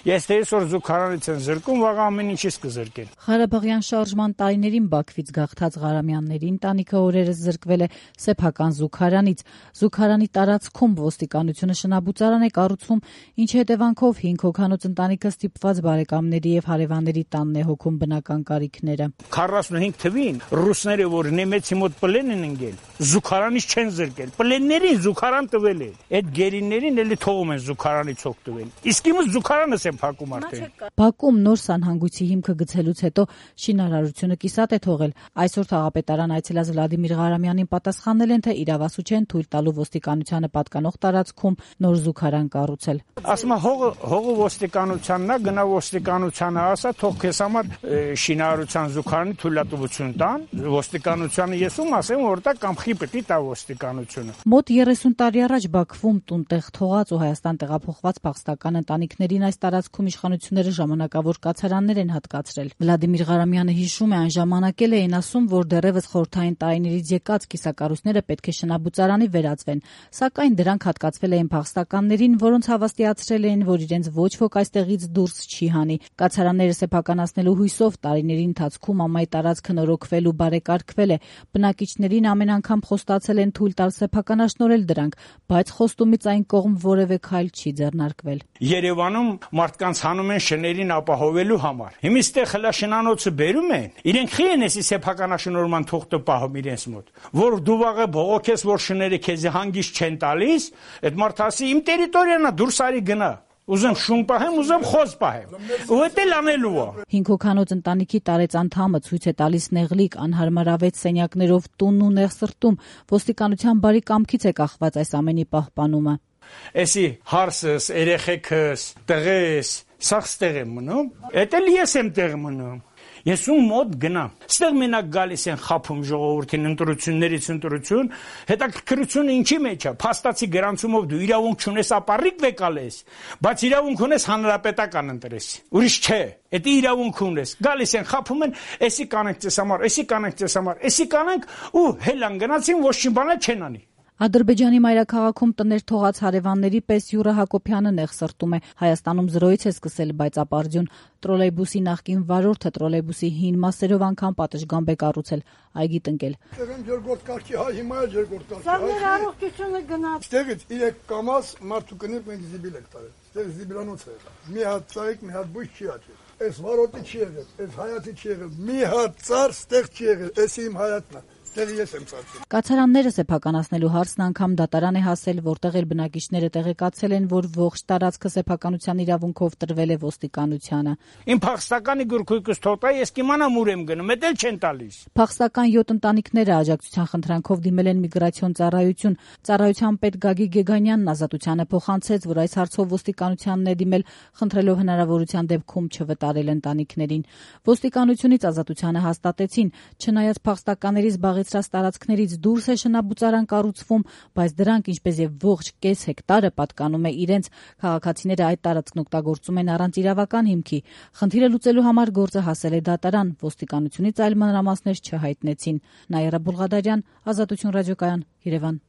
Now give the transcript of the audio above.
Ես թե այսօր զուգարանից են զրկում, վաղ ամեն ինչից կզրկեն։ Ղարաբաղյան շարժման տարիներին Բաքվից գաղթած Ղարամյանների ընտանիքը օրերս զրկվել է սեփական զուգարանից։ Զուգարանի տարածքում ոստիկանությունը շնաբուծարան է կառուցում, ինչի հետևանքով 5 հոգանոց ընտանիքը ստիպված բարեկամների եւ հարևանների տանն է հոգում բնական կարիքները։ 45 թվին ռուսները, որ նեմեցի մոտ պլեն են ընկել, զուգարանից չեն զրկել, պլեններին զուգարան տվել է, այդ գերիներին էլի թողում են զուգարանից օգտվել, իսկ իմը զուգարանս են փակում արդեն։ Բաքվում նոր սանհանգույցի հիմքը գցելուց հետո շինարարությունը կիսատ է թողել։ Այսօր թաղապետարան այցելած Վլադիմիր Ղարամյանին պատասխանել են, թե իրավասու չեն թույլ տալու ոստիկանությանը պատկանող տարածքում նոր զուգարան կառուցել։ Ասում հողը ոստիկանությանն է, գնա ոստիկանությանը ասա, թող քեզ համար շինարարության զուգարանի թույլատվություն տան, ոստիկանությանը ես ում ասեմ, որ դա կամխի պետք է տա ոստիկանությունը։ Մոտ 30 տարի առաջ Բաքվում տուն-տեղ թողած ու Հայաստան տեղափոխված փախստական ընտանիքներին այս տարածքում իշխանությունները ժամանակավոր կացարաններ են հատկացրել։ Վլադիմիր Ղարամյանը հիշում է, այն ժամանակել էին ասում, որ դեռևս խորհրդային տարիներից եկած կիսակառույցները պետք է շնաբուծարանի վերածվեն, սակայն դրանք հատկացվել էին փախստականներին, որոնց հավաստիացրել էին, որ իրենց ոչ ոք այստեղից դուրս չի հանի։ Կացարանները սեփականացնելու հույսով տարիների ընթացքում ամայի տարածքը նորոգվել ու բարեկարգվել է։ Բնակիչներին ամեն անգամ խոստացել են թույլ տալ սեփականաշնորհել դրանք, բայց խոստումից այն կողմ որևէ քայլ չի ձեռնարկվել։ Երևանում մարդկանց հանում են շներին ապահովելու համար։ Հիմա այստեղ խլաշնանոցը բերում են, իրենք խի են էսի սեփականաշնորհման թուղթը պահում իրենց մոտ, որ դու վաղը բողոքես, որ շները քեզ հանգիստ չեն տալիս, այդ մարդը ասի իմ տերիտորիան է, դուրս արի գնա։ Ուզեմ շուն պահեմ, ուզեմ խոզ պահեմ։ Ու դա լանելու է։ 5 հոգանոց ընտանիքի տարեց անդամը ցույց է տալիս նեղլիկ, անհարմարավետ սենյակներով տունն ու նեղ սրտում։ Ոստիկանության բարի կամքից է կախված այս ամենի պահպանումը։ Էսի հարսս, երեխեքս, տղես, սաղ ստեղ եմ մնում, էդ էլ ես եմ տեղ մնում։ Ես ում մոտ գնամ։ Ստեղ մենակ գալիս են խափում ժողովրդին ընտրություններից ընտրություն, հետաքրքրությունը ինչի մեջ է։ Փաստացի գրանցումով դու իրավունք չունես ապառիկ վեկալես, բայց իրավունք ունես հանրապետական ընտրես։ Ուրիշ չէ։ Այդ իրավունք ունես։ Գալիս են խափում են, էսի կանենք ձեզ համար, էսի կանենք ձեզ համար, էսի կանենք ու հելան գնացին ոչ մի բան չեն անի։ Ադրբեջանի մայրաքաղաքում տներ թողած հարևանների պես Յուրա Հակոբյանը նեղ սրտում է։ Հայաստանում զրոյից է սկսել բայցապարդյուն։ Տրոլեյբուսի նախկին վարորդը տրոլեյբուսի հին մասերով անգամ պատշգամբ է կառուցել, այգի տնկել։ Երկրորդ կարգի հայ, հիմա էլ երկրորդ կարգի հայ։ Սա մեր առողջությունը գնաց։ Ստեղից 3 կամազ մարդու կնիկ մենք զիբիլ ենք տարել։ Ստեղ զիբիլանոց է եղել։ Մի հատ ծաղիկ, մի հատ բույս չի աճել։ Այս վարորդի չի եղել, այս հայացի չի եղել։ Մի հատ ծառ ստեղ չի եղել, էս իմ հայացն է։ Կացարանները սեփականացնելու հարցն անգամ դատարան է հասել, որտեղ էլ բնակիչները տեղեկացել են, որ ողջ տարածքը սեփականության իրավունքով տրվել է ոստիկանությանը։ Իմ փախստականի գրքույկս թողտա, ես կիմանամ ուր եմ գնում, էդ էլ չեն տալիս։ Փախստական 7 ընտանիքները աջակցության խնդրանքով դիմել են միգրացիոն ծառայություն։ Ծառայության պետ Գագիկ Գեգանյանն ազատությանը փոխանցեց, որ այս հարցով ոստիկանությանն է դիմել, խնդրելով հնարավորության դեպքում չվտարել ընտանիքներին։ Ոստիկանությունից ազատությանը հաստատեցին, չնայած փախստականների զբաղեցրած տարածքներից դուրս է շնաբուծարան կառուցվում, բայց դրանք, ինչպես եւ ողջ կես հեկտարը պատկանում է իրենց, քաղաքացիները այդ տարածքն օգտագործում են առանց իրավական հիմքի։ Խնդիրը լուծելու համար գործը հասել է դատարան, ոստիկանությունից այլ մանրամասներ չհայտնեցին։ Նաիրա Բուլղադարյան, Ազատություն ռադիոկայան, Երևան։